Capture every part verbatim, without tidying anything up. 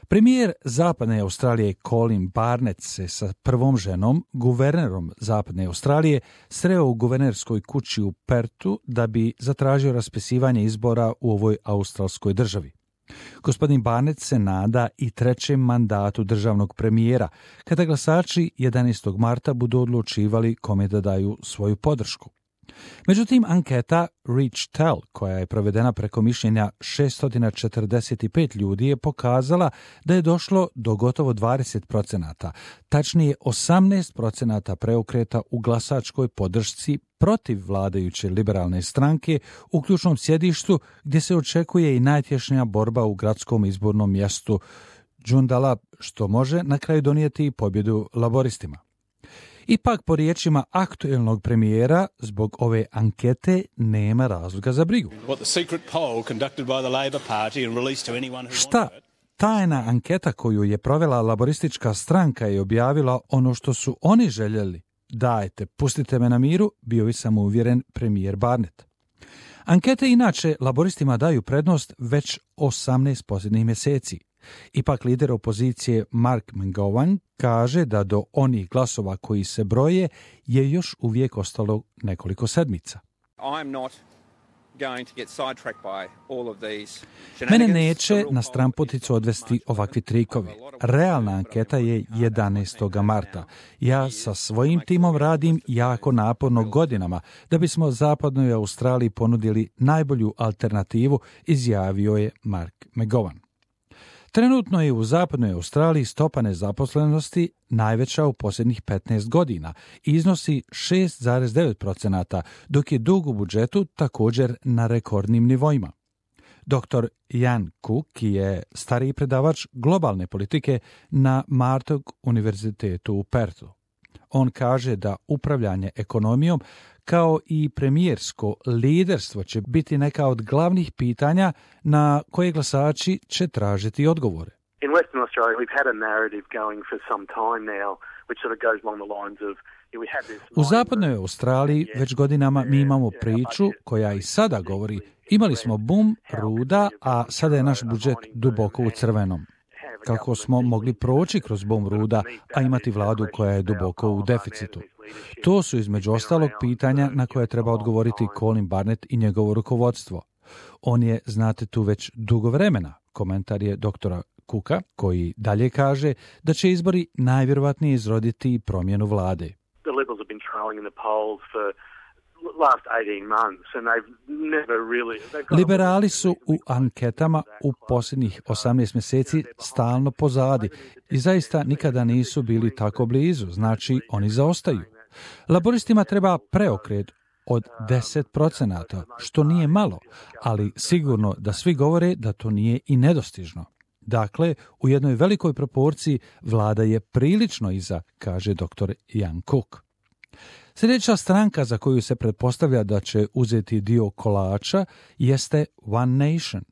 Premijer Zapadne Australije Colin Barnett se sa prvom ženom, guvernerom Zapadne Australije, sreo u guvernerskoj kući u Pertu da bi zatražio raspisivanje izbora u ovoj australskoj državi. Gospodin Barnett se nada i trećem mandatu državnog premijera, kada glasači jedanaestog marta budu odlučivali kome da daju svoju podršku. Međutim, anketa Reach Tell, koja je provedena preko mišljenja šesto četrdeset pet ljudi, je pokazala da je došlo do gotovo dvadeset procenata, tačnije osamnaest procenata preokreta u glasačkoj podršci protiv vladajuće liberalne stranke u ključnom sjedištu gdje se očekuje i najtješnija borba u gradskom izbornom mjestu Joondalup, što može na kraju donijeti pobjedu laboristima. Ipak, po riječima aktuelnog premijera, zbog ove ankete nema razloga za brigu. Šta? Tajna anketa koju je provela laboristička stranka je objavila ono što su oni željeli. Dajte, pustite me na miru, bio je samouvjeren premijer Barnett. Ankete inače laboristima daju prednost već osamnaest posljednjih mjeseci. Ipak lider opozicije Mark McGowan kaže da do onih glasova koji se broje je još uvijek ostalo nekoliko sedmica. Mene neće na stranputicu odvesti ovakvi trikovi. Realna anketa je jedanaestog marta. Ja sa svojim timom radim jako naporno godinama da bismo Zapadnoj Australiji ponudili najbolju alternativu, izjavio je Mark McGowan. Trenutno je u Zapadnoj Australiji stopa nezaposlenosti najveća u posljednjih petnaest godina i iznosi šest zarez devet procenata, dok je dug u budžetu također na rekordnim nivoima. doktor Ian Cook je stariji predavač globalne politike na Martog univerzitetu u Perthu. On kaže da upravljanje ekonomijom kao i premijersko liderstvo će biti neka od glavnih pitanja na koje glasači će tražiti odgovore. In Western Australia we've had a narrative going for some time now which sort of goes along the lines of U Zapadnoj Australiji već godinama mi imamo priču koja i sada govori imali smo bum ruda, a sada je naš budžet duboko u crvenom. Kako smo mogli proći kroz bum ruda, a imati vladu koja je duboko u deficitu? To su između ostalog pitanja na koje treba odgovoriti Colin Barnett i njegovo rukovodstvo. On je, znate, tu već dugo vremena, komentar je doktora Cooka, koji dalje kaže da će izbori najvjerovatnije izroditi promjenu vlade. Liberali su u anketama u posljednjih osamnaest mjeseci stalno pozadi i zaista nikada nisu bili tako blizu, znači oni zaostaju. Laboristima treba preokret od deset procenata, što nije malo, ali sigurno da svi govore da to nije i nedostižno. Dakle, u jednoj velikoj proporciji vlada je prilično iza, kaže doktor Ian Cook. Sljedeća stranka za koju se pretpostavlja da će uzeti dio kolača jeste One Nation.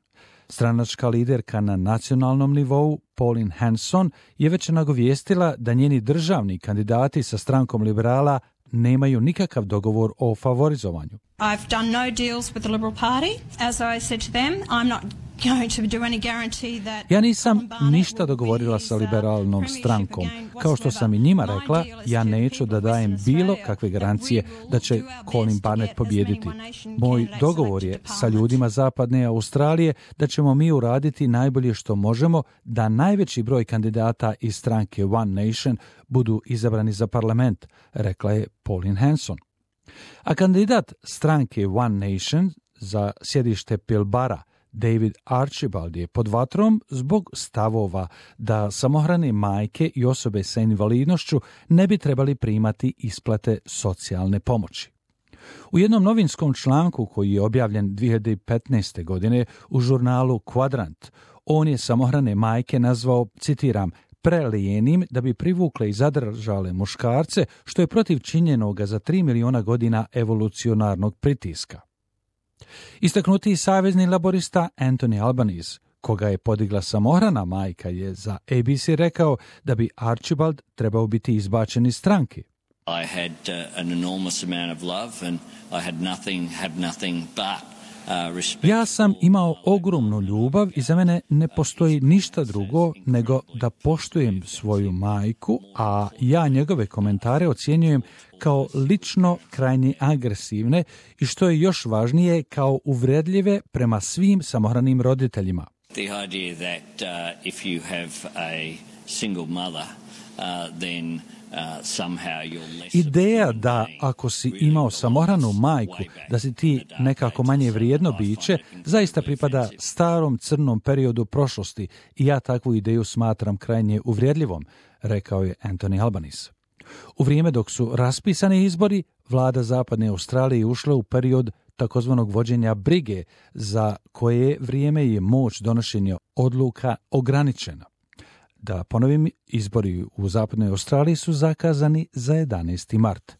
Stranačka liderka na nacionalnom nivou, Pauline Hanson, je već nagovijestila da njeni državni kandidati sa strankom liberala nemaju nikakav dogovor o favorizovanju. I've done no deals with the Liberal Party. As I said to them, I'm not going to do any guarantee that... Ja nisam ništa dogovorila sa liberalnom strankom. Kao što sam i njima rekla, ja neću da dajem bilo kakve garancije da će Colin Barnett pobijediti. Moj dogovor je sa ljudima Zapadne Australije da ćemo mi uraditi najbolje što možemo da najveći broj kandidata iz stranke One Nation budu izabrani za parlament, rekla je Pauline Hanson. A kandidat stranke One Nation za sjedište Pilbara, David Archibald, je pod vatrom zbog stavova da samohrane majke i osobe sa invalidnošću ne bi trebali primati isplate socijalne pomoći. U jednom novinskom članku koji je objavljen dvije hiljade petnaeste. godine u žurnalu Quadrant, on je samohrane majke nazvao, citiram, prelijenim da bi privukle i zadržale muškarce, što je protiv činjenoga za tri miliona godina evolucionarnog pritiska. Istaknuti savezni laborista Anthony Albanese, koga je podigla samohrana majka, je za A B C rekao da bi Archibald trebao biti izbačen iz stranke. I had uh, an enormous amount of love and I had nothing, have nothing but Ja sam imao ogromnu ljubav i za mene ne postoji ništa drugo nego da poštujem svoju majku, a ja njegove komentare ocjenjujem kao lično krajnje agresivne i što je još važnije kao uvredljive prema svim samohranim roditeljima. The idea that uh, if you have a single mother, uh, then Ideja da ako si imao samohranu majku, da si ti nekako manje vrijedno biće, zaista pripada starom crnom periodu prošlosti i ja takvu ideju smatram krajnje uvrijedljivom, rekao je Anthony Albanese. U vrijeme dok su raspisani izbori, vlada Zapadne Australije ušla u period takozvanog vođenja brige, za koje vrijeme je moć donošenja odluka ograničena. Da ponovim, izbori u Zapadnoj Australiji su zakazani za jedanaesti mart.